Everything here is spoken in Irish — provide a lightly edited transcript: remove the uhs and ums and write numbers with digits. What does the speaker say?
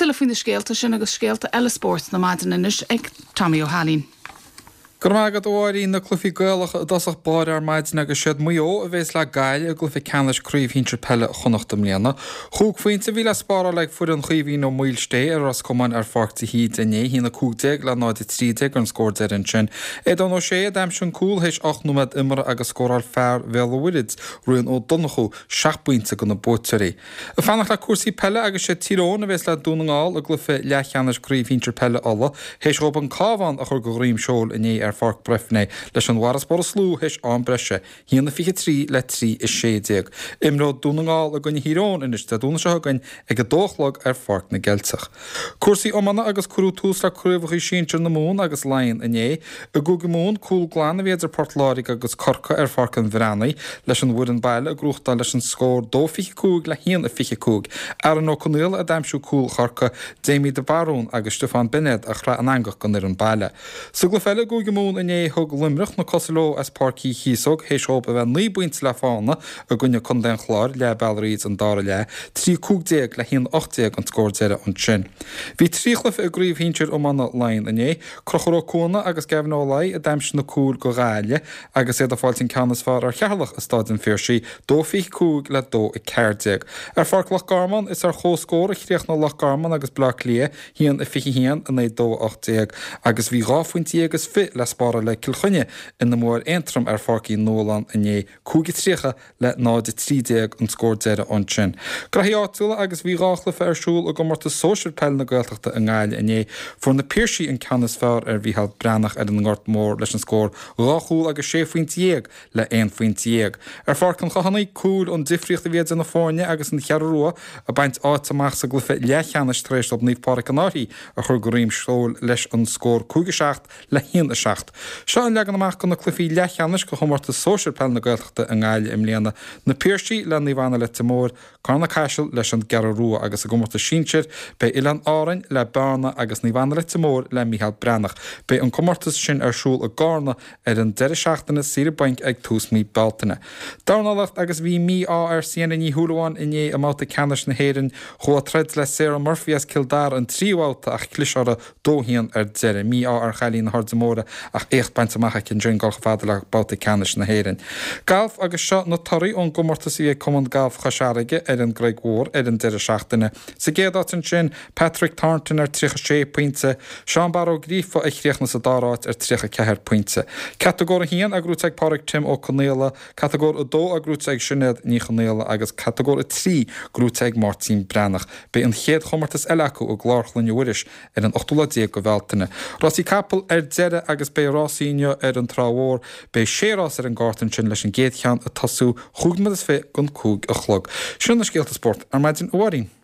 Tuilleadh faoi na scéalta sin agus scéalta eile spóirt na maidine anois ag Tommy Ó hAilín. Go raibh maith agat, a Mháirín. Na cluichí Gaelacha i dtosach báire ar maidin agus siad Maigh Eo a bhéas le Gaillimh i gcluiche ceannais Craobh Shinsir Peile Chonnacht i mbliana. Chúig phointe a bhí le spáráil ag foireann Chaoimhín Ó Maoilsté ar Ros Comáin ar Pháirc de hÍde inné, 1-15 le 0-13 an scór deiridh ansin. Aodán Ó Sé a d'aimsigh an cúl théis 8 nóiméad imeartha agus scóráil fear Bhéal an Mhuirthid, Rian Ó Donnchú, seacht bpointe do na buaiteoirí. Ag fanacht le cúrsaí peile agus sé Tír Eoghain a bhéas le Dún na nGall i gcluiche leathcheannais Craobh Shinsir Peile Uladh théis dhóibh an Cabhán a chur de dhroim seoil inné ar Pháirc Breifne leis an bhfarasbarr is lú théis am breise, 1-23 le 3-16. Imreoidh Dún na nGall i gcoinne Thír Eoghain anois Dé Domhnaigh seo chugainn ag 2 a chlog ar Pháirc na gCeilteach. Cúrsaí iomána agus cuireadh tús le Craobhacha Sinsir na Mumhan agus Laighean inné. I gCúige Mumhan, cúl glan a bhí idir Port Láirge agus Corcaigh ar Pháirc an Bhreathnaigh, leis an bhfoireann baile ag gnóthachtáil leis an scór 2-25 le 1-25. Aaron Ó Conaola a d'aimsigh cúl Chorcaí, Jamie de Barún agus Stiofán Beinéad a chraith an eangach don fhoireann baile. Sa gcluiche eile i gCúige Mumhan inné, thug Luimneach na cosa leo as Páirc Uí Chíosóg théis dhóibh a bheith 9 bpointe le fána i gcoinne Contae an Chláir leath bealaigh thríd an dara leath, 3-15 le 1-18 an scór deiridh ansin. Bhí 3 chluiche i gCraobh Shinsir Iomána Laighean inné. Conchúr Ó Cuana agus Gavin Ó Laoi a d'aimsigh na cúil do Ghaillimh agus iad ag fáilt an ceann is fearr ar Cheatharlach i Stáid an Phiarsaigh, 2-25 le 2-14. Ar Pháirc Loch Garman, is ar comhscór a chríochnaigh Loch Garman agus Bleá Cliath, 1-21 in aghaidh 2-18, agus bhí dhá phointe dhéag is fiche le spáráil ag Cill Chainnigh ina mbua ar Aontroim ar Pháirc Uí Nualláin inné, 5-30 le 0-13 an scór deiridh ansin. Graithí áitiúla agus bhí 2 chluiche ar siúl i gcomórtas sóisir peile na Gaeltachta i nGaillimh inné. Fuair na Piarsaigh an ceann is fearr ar Mhícheál Breathnach ar an nGort Mór leis an scór 2 chúl agus 16 phointe le 11 phointe. Ar Pháirc an Chathánaigh, cúl an difríocht a bhí idir na foirne agus an Cheathrú Rua ag baint áit amach sa gcluiche leathcheannais tar éis dóibh Naomh Pádraig an Fhairche a chur de dhroim seoil leis an scór 5-7 le 1-7. Seo an leagan amach do na cluichí leathcheannais do chomórtas sóisir peile na Gaeltachta i nGaillimh i mbliana, Na Piarsaigh le Naomh Anna Leitir Móir, Carna Caiseal leis an gCeathrú Rua agus i gcomórtas sinsir beidh Oileáin Árainn le Bearna agus Naomh Anna Leitir Móir le Mícheál Breathnach. Beidh an comórtas sin ar siúl i gCarna ar an deireadh seachtaine saoire bainc ag tús mí Bealtaine. Dornálaíocht agus bhí mí-ádh ar Sienna Ní Shúilleabháin inné i mbabhta ceannais na hÉireann. Chuaigh a troid le Sarah Murphy as Cill Dara an tríú babhta ach chlis orthu 2-1 ar deireadh. Mí-ádh ar chailín na hAirde Móire ach éacht bainte amach aici ansin dul chomh fada le babhta ceannais na hÉireann. Galf agus seo na torthaí ón gcomórtas a bhí ag Cumann Gailf Chois Fharraige ar an gCreig Mhór ar an deireadh seachtaine. Sa gcéad áit ansin, Patrick Thornton ar 36 pointe, Seán Barra Ó Gríofa a chríochnaigh sa dara háit ar 34 pointe. Catagóir 1 á gnóthú ag Pádraig Tim Ó Conaola, Catagóir 2 á gnóthú ag Sinéad Ní Chonaola agus Catagóir 3 gnóthaithe ag Máirtín Breathnach. Beidh an chéad chomórtas eile acu i gClár Chloinne Mhuiris ar an ochtú lá déag de Bhealtaine. Rásaí capall ar deireadh agus beidh rásaí inniu ar an Trá Mhór. Beidh sé rás ar an gcárta ansin leis an gcéad cheann ag tosú chúig nóiméad is fiche don 5 a chlog. Sin na scéalta spóirt ar maidin, a Mháirín.